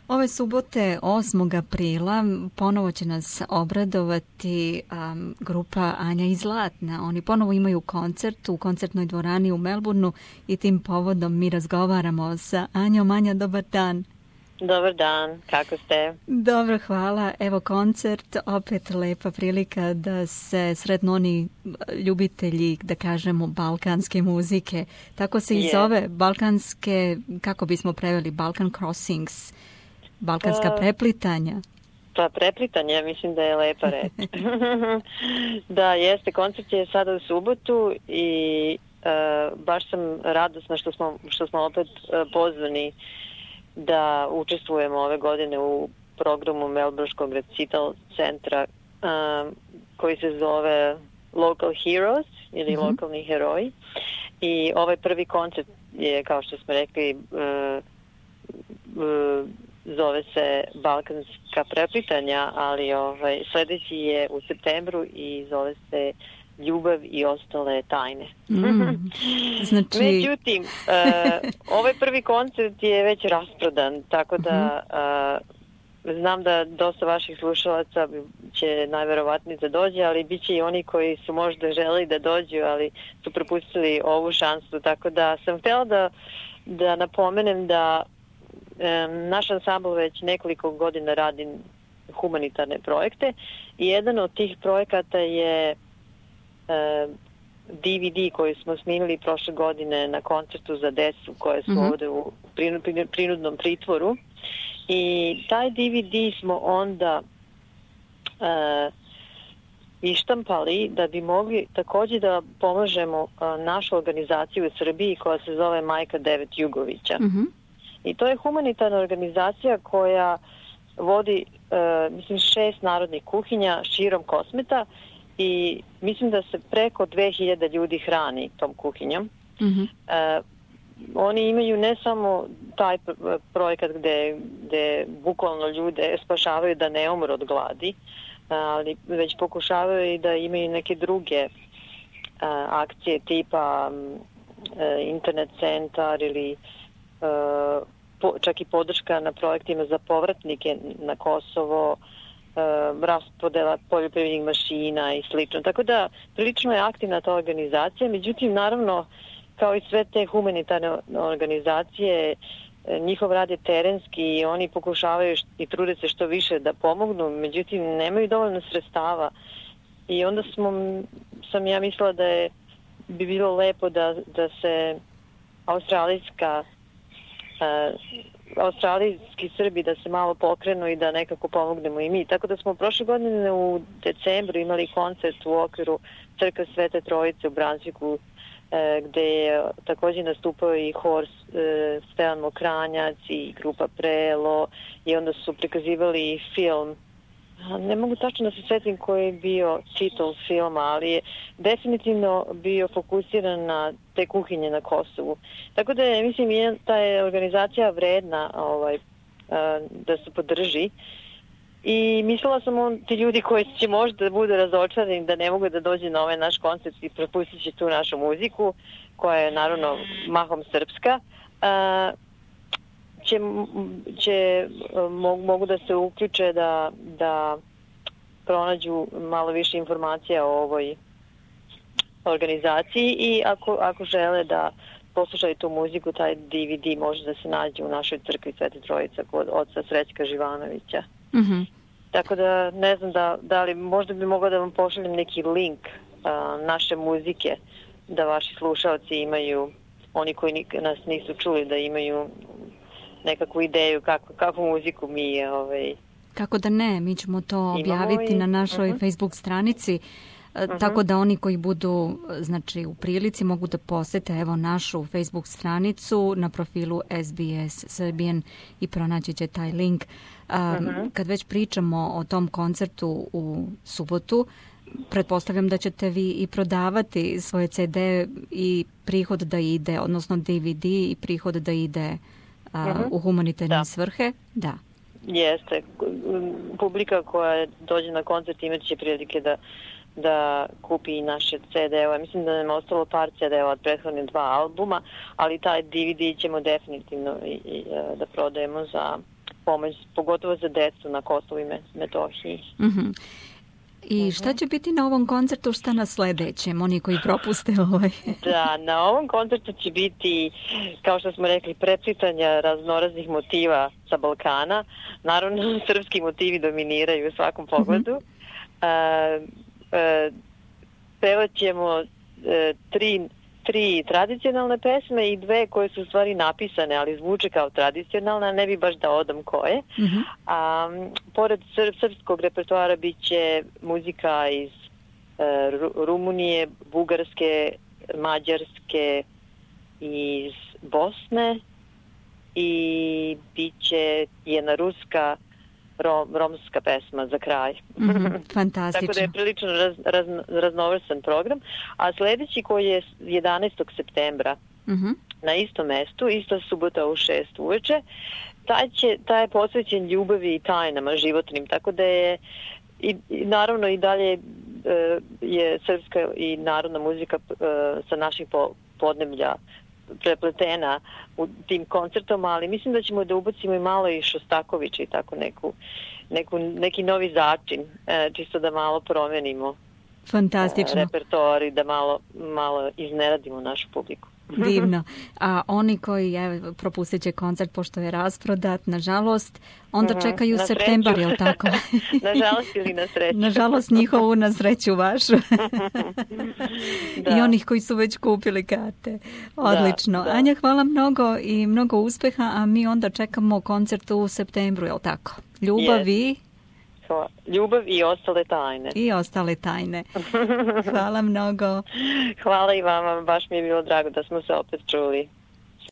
Ove subote 8. aprila ponovo će nas obradovati grupa Anja i Zlatna. Oni ponovo imaju koncert u koncertnoj dvorani u Melbourneu i tim povodom mi razgovaramo sa Anjom. Anja, dobar dan. Dobar dan, kako ste? Dobro, hvala. Evo koncert, opet lepa prilika da se sretnu oni ljubitelji, da kažemo, balkanske muzike. Tako se i zove, balkanske, kako bismo preveli, Balkan Crossings, balkanska preplitanja. Pa preplitanje, mislim da je lepa reč. Da, jeste, koncert je sada u subotu i baš sam radosna što smo opet pozvani da učestvujemo ove godine u programu Melbourneškog recital centra koji se zove Local Heroes ili lokalni heroji. I ovaj prvi koncert je, kao što smo rekli, zove se Balkanska preplitanja, ali sledeći je u septembru i zove se Ljubav i ostale tajne. Znači... Međutim, ovaj prvi koncert je već rasprodan, tako da znam da dosta vaših slušalaca će najverovatnije da dođe, ali bit će i oni koji su možda želeli da dođu, ali su propustili ovu šansu, tako da sam htjela da napomenem da naš ansambl već nekoliko godina radi humanitarne projekte i jedan od tih projekata je DVD koji smo snimili prošle godine na koncertu za decu koje su ovde u prinudnom pritvoru i taj DVD smo onda ištampali da bi mogli takođe da pomožemo našu organizaciju u Srbiji koja se zove Majka Devet Jugovića. I to je humanitarna organizacija koja vodi, mislim, 6 narodnih kuhinja širom Kosmeta i mislim da se preko 2000 ljudi hrani tom kuhinjom. Oni imaju ne samo taj projekat gde bukvalno ljude spašavaju da ne umru od gladi, ali već pokušavaju i da imaju neke druge akcije tipa internet centar ili čak i podrška na projektima za povratnike na Kosovo, raspodela poljoprivrednih mašina i slično. Tako da prilično je aktivna ta organizacija, međutim naravno kao i sve te humanitarne organizacije njihov rad je terenski i oni pokušavaju i trude se što više da pomognu, međutim nemaju dovoljno sredstava i onda sam ja mislila da bi bilo lepo da se australijski Srbi da se malo pokrenu i da nekako pomognemo i mi. Tako da smo prošle godine u decembru imali koncert u okviru Crkve Svete Trojice u Bransviku gde je takođe nastupao i hor Stevan Mokranjac i grupa Prelo i onda su prikazivali film. Ne mogu tačno da se setim koji je bio titul filma, ali je definitivno bio fokusiran na te kuhinje na Kosovu. Tako da je, mislim, ta je organizacija vredna da se podrži i mislila sam ti ljudi koji će možda da budu razočarani da ne mogu da dođe na ovaj naš koncert i propustit će tu našu muziku, koja je naravno mahom srpska, mogu da se uključe da pronađu malo više informacija o ovoj organizaciji i ako žele da poslušaju tu muziku, taj DVD može da se nađe u našoj crkvi Svete Trojice kod oca Srećka Živanovića. Tako da ne znam da li možda bi mogla da vam pošaljem neki link naše muzike da vaši slušalci imaju, oni koji nas nisu čuli, da imaju nekakvu ideju kakvu muziku mi Kako da ne, mi ćemo to objaviti na našoj Facebook stranici, tako da oni koji budu, znači, u prilici mogu da posete evo našu Facebook stranicu na profilu SBS Serbian i pronaći će taj link. Kad već pričamo o tom koncertu u subotu, pretpostavljam da ćete vi i prodavati svoje CD i prihod da ide, odnosno DVD i prihod da ide u humanitarne svrhe. Da. Jeste. Publika koja dođe na koncert imat će prilike da kupi naše CD-ove. Mislim da nam je ostalo par CD-ova od prethodne 2 albuma, ali taj DVD ćemo definitivno da prodajemo za pomoć, pogotovo za decu na Kosovu i Metohiji. I šta će biti na ovom koncertu, šta na sledećem, oni koji propuste ovaj? Da, na ovom koncertu će biti, kao što smo rekli, preplitanja raznoraznih motiva sa Balkana. Naravno, srpski motivi dominiraju u svakom pogledu. Pevat ćemo tri tradicionalne pesme i dve koje su u stvari napisane, ali zvuče kao tradicionalne, ne bi baš da odam koje. Pored srpskog repertoara bit će muzika iz Rumunije, Bugarske, Mađarske, iz Bosne i bit će jedna ruska romska pesma za kraj. Fantastično. Tako da je prilično raznovrsan program. A sledeći koji je 11. septembra na istom mestu, ista subota u 6 uveče, taj je posvećen ljubavi i tajnama životnim, tako da je naravno i dalje je srpska i narodna muzika sa naših podneblja prepletena u tim koncertom, ali mislim da ćemo da ubacimo i malo i Šostakovića i tako neki novi začin, čisto da malo promenimo repertoar i da malo iznenadimo našu publiku. Divno. A oni koji propustit će koncert pošto je rasprodat, nažalost, onda čekaju septembar, je li tako? Nažalost ili na sreću. Nažalost njihovu, na sreću vašu. I onih koji su već kupili karte. Odlično. Da. Anja, hvala mnogo i mnogo uspeha, a mi onda čekamo koncert u septembru, je li tako? Ljubav i ostale tajne. I ostale tajne. Hvala mnogo. Hvala i vama, baš mi je bilo drago da smo se opet čuli.